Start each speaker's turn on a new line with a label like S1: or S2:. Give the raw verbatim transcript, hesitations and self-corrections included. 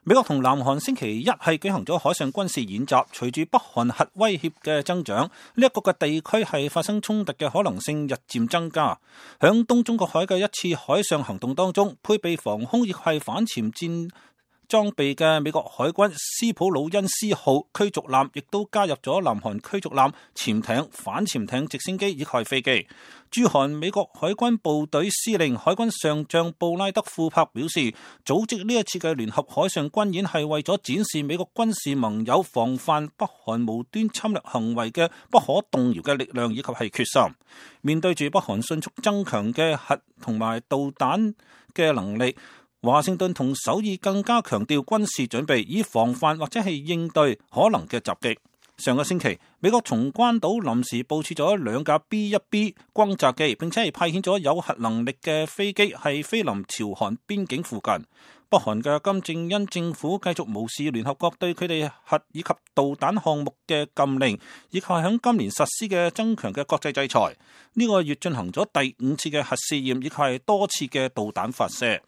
S1: 美國同南韓星期一係舉行咗海上軍事演習，隨住北韓核威脅嘅增長，呢、這、一個嘅地區係發生衝突嘅可能性日漸增加。響東中國海嘅一次海上行動當中，配備防空亦係反潛戰裝備嘅美國海軍斯普魯恩斯號驅逐艦亦都加入咗南韓驅逐艦、潛艇、反潛艇、直升機以及飛機。駐韓美國海軍部隊司令海軍上將布拉德庫珀表示，組織呢一次嘅聯合海上軍演係為咗展示美國軍事盟友防範北韓無端侵略行為嘅不可動搖嘅力量以及係決心。面對住北韓迅速增強嘅核同埋導彈嘅能力，華盛頓同首爾更加強調軍事準備，以防範或者係應對可能嘅襲擊。上個星期，美國從關島臨時部署咗兩架 B 一 B 轟炸機，並且係派遣咗有核能力嘅飛機係飛臨朝韓邊境附近。北韓嘅金正恩政府繼續無視聯合國對佢哋核以及導彈項目嘅禁令，以及喺今年實施嘅增強嘅國際制裁。呢、這個月進行咗第五次嘅核試驗，以及係多次嘅導彈發射。